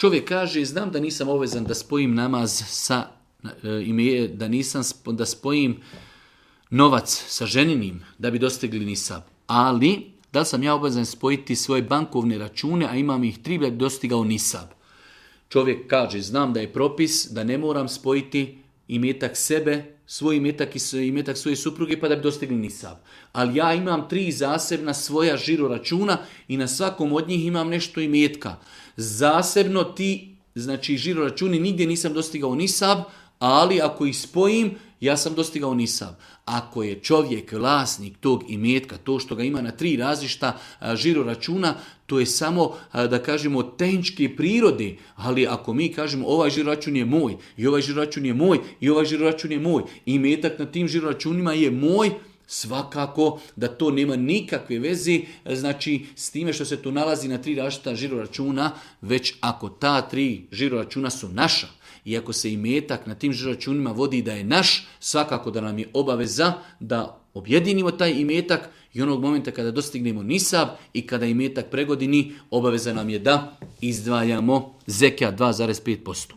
Čovjek kaže, znam da nisam obvezan da spojim namaz sa, da spojim novac sa ženinim da bi dostigli nisab, ali da li sam ja obvezan spojiti svoje bankovne račune, a imam ih 3 da bi dostigao nisab. Čovjek kaže, znam da je propis da ne moram spojiti imetak sebe, svoj imetak i imetak svoje supruge pa da bi dostigli nisab. Ali ja imam 3 zasebna svoja žiro računa i na svakom od njih imam nešto imetka. Zasebno ti, znači žiro računi, nigdje nisam dostigao nisab, ali ako ih spojim, ja sam dostigao nisab. Ako je čovjek vlasnik tog imetka, to što ga ima na 3 različita žiro računa, to je samo, da kažemo, tehničke prirode. Ali ako mi kažemo ovaj žiro račun je moj, i ovaj žiro račun je moj, i ovaj žiro račun je moj, i imetak na tim žiro računima je moj, svakako da to nema nikakve veze, znači s time što se to nalazi na 3 različita žiro računa, već ako ta 3 žiro računa su naša, i ako se imetak na tim žiro računima vodi da je naš, svakako da nam je obaveza da objedinimo taj imetak i onog momenta kada dostignemo nisab i kada imetak pregodini, obaveza nam je da izdvajamo zekijat 2,5%.